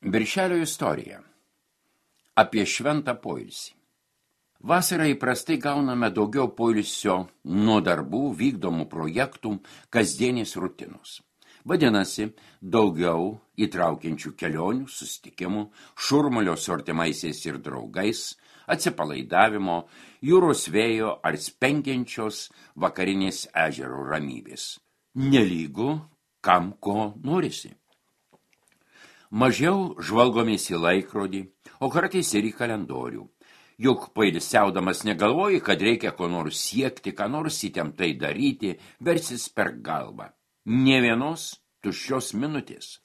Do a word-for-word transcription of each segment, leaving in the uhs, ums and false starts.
Birželio istorija. Apie šventą poilsį. Vasarą įprastai gauname daugiau poilsio nuo darbų, vykdomų projektų, kasdienės rutinos. Vadinasi, daugiau įtraukiančių kelionių, susitikimų, šurmulio su artimaisiais ir draugais, atsipalaidavimo, jūros vėjo ar spengiančios vakarinės ežero ramybės. Nelygu, kam ko norisi. Mažiau žvalgomės į laikrodį, o kartais ir į kalendorių. Juk pailsiaudamas negalvoji, kad reikia ko nors siekti, ką nors įtemptai daryti, versis per galvą. Nė vienos tuščios minutės.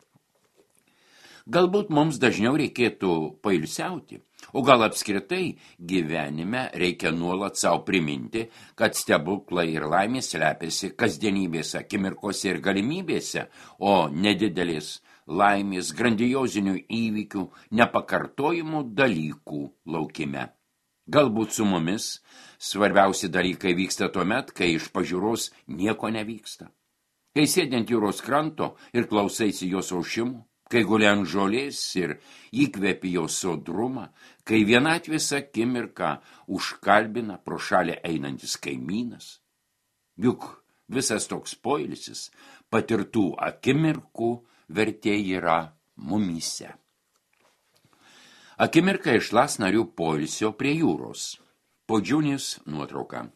Galbūt mums dažniau reikėtų pailsiauti, o gal apskritai gyvenime reikia nuolat savo priminti, kad stebuklai ir laimės slepiasi kasdienybės akimirkose ir galimybėse, o nedidelės laimės, grandiozinių įvykių, nepakartojimų dalykų laukime. Galbūt su mumis svarbiausi dalykai vyksta tuomet, kai iš pažiūros nieko nevyksta. Kai sėdint jūros kranto ir klausaisi jos aušimų, kai guli ant žolės ir įkvepi jos sodrumą, kai vienatvės akimirką užkalbina pro šalį einantis kaimynas. Juk visas toks poilsis patirtų akimirkų vertė yra mumyse. Akimirka iš Lasnarių poilsio prie jūros. Podžiūnės nuotrauka.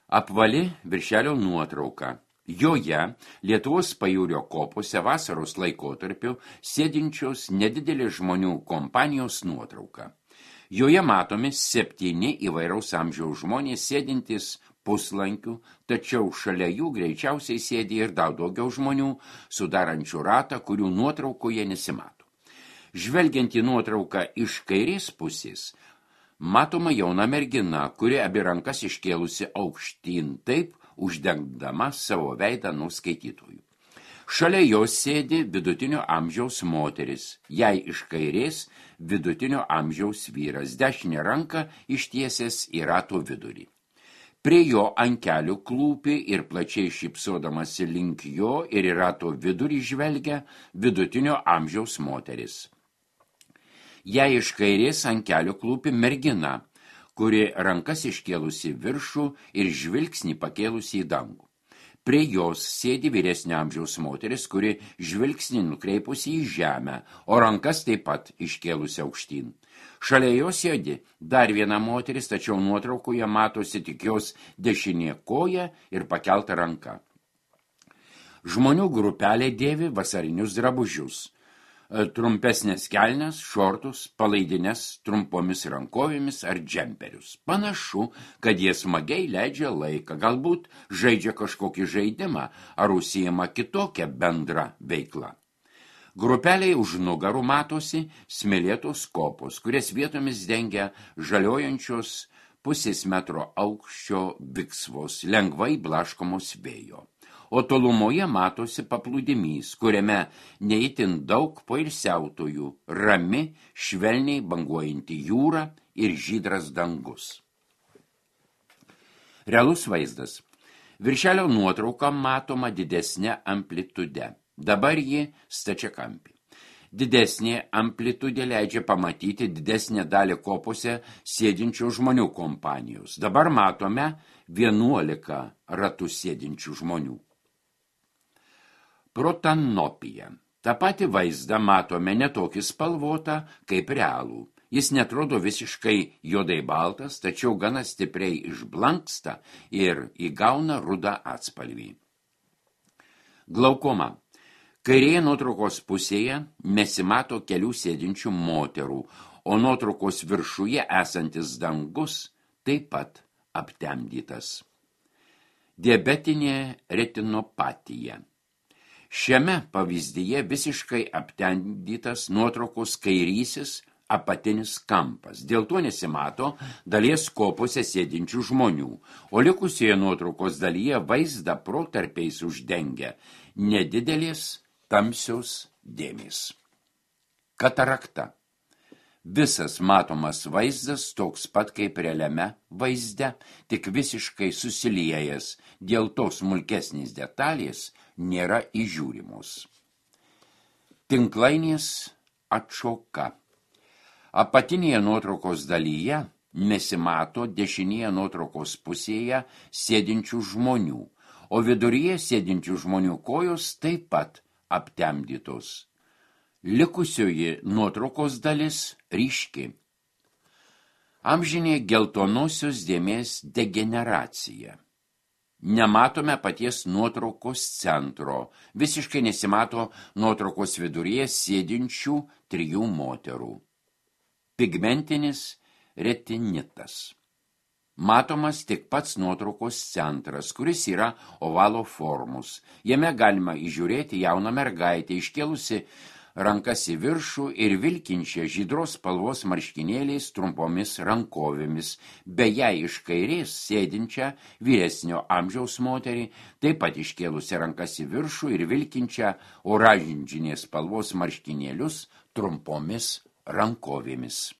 Apvali viršelio nuotrauka. Joje Lietuvos pajūrio kopose vasaros laikotarpiu sėdinčios nedidelės žmonių kompanijos nuotrauka. Joje matomi septyni įvairaus amžiaus žmonės sėdintys puslankių, tačiau šalia jų greičiausiai sėdi ir daug daugiau žmonių, sudarančių ratą, kurių nuotraukoje nesimato. Žvelgiant į nuotrauką iš kairės pusės, matoma jauna mergina, kuri abi rankas iškėlusi aukštyn, taip uždengdama savo veidą nuo skaitytojų. Šalia jos sėdi vidutinio amžiaus moteris, jai iš kairės vidutinio amžiaus vyras, dešinę ranką ištiesęs į rato vidurį. Prie jo ant kelių klūpi ir plačiai šypsodamasi link jo ir į rato vidurį žvelgia vidutinio amžiaus moteris. Jai iš kairės ant kelių klūpi mergina, kuri rankas iškėlusi viršų ir žvilgsnį pakėlusi į dangų. Prie jos sėdi vyresnio amžiaus moteris, kuri žvilgsnį nukreipusi į žemę, o rankas taip pat iškėlusi aukštyn. Šalia jos sėdi dar viena moteris, tačiau nuotraukoje matosi tik jos dešinė koja ir pakelta ranka. Žmonių grupelė dėvi vasarinius drabužius. Trumpesnės kelnes, šortus, palaidines trumpomis rankovėmis ar džemperius. Panašu, kad jie smagiai leidžia laiką, galbūt žaidžia kažkokį žaidimą ar užsiima kitokią bendrą veiklą. Grupeliai už nugarų matosi smėlėtos kopos, kurias vietomis dengia žaliojančios pusės metro aukščio viksvos, lengvai blaškomos vėjo. O tolumoje matosi paplūdimys, kuriame neįtin daug poilsiautojų, rami, švelniai banguojanti jūra ir žydras dangus. Realus vaizdas. Viršelio nuotrauka matoma didesnė amplitude. Dabar ji stačiakampė. Didesnė amplitudė leidžia pamatyti didesnę dalį kopose sėdinčių žmonių kompanijos. Dabar matome vienuolika ratų sėdinčių žmonių. Protanopija. Ta pati vaizdą matome netokį spalvotą kaip realų. Jis netrodo visiškai juodai baltas, tačiau gana stipriai išblanksta ir įgauna rudą atspalvį. Glaukoma. Kairėje nuotraukos pusėje nesimato kelių sėdinčių moterų, o nuotraukos viršuje esantis dangus taip pat aptemdytas. Diabetinė retinopatija. Šiame pavyzdyje visiškai aptemdytas nuotraukos kairysis apatinis kampas. Dėl to nesimato dalies kopose sėdinčių žmonių, o likusioje nuotraukos dalyje vaizdą protarpiais uždengia nedidelės tamsios dėmės. Katarakta. Visas matomas vaizdas toks pat kaip realiame vaizde, tik visiškai susiliejęs, dėl to smulkesnės detalės nėra įžiūrimos. Tinklainės atšoka. Apatinėje nuotraukos dalyje nesimato dešinėje nuotraukos pusėje sėdinčių žmonių, o viduryje sėdinčių žmonių kojos taip pat aptemdytos. Likusioji nuotraukos dalis ryški. Amžinė geltonosios dėmės degeneracija. Nematome paties nuotraukos centro, visiškai nesimato nuotraukos viduryje sėdinčių trijų moterų. Pigmentinis retinitas. Matomas tik pats nuotraukos centras, kuris yra ovalo formos. Jame galima įžiūrėti jauną mergaitę, iškėlusi rankas į viršų ir vilkinčią žydros spalvos marškinėliais trumpomis rankovėmis, beje iš kairės sėdinčią vyresnio amžiaus moterį, taip pat iškėlusi rankas į viršų ir vilkinčią oranžinės spalvos marškinėlius trumpomis rankovėmis.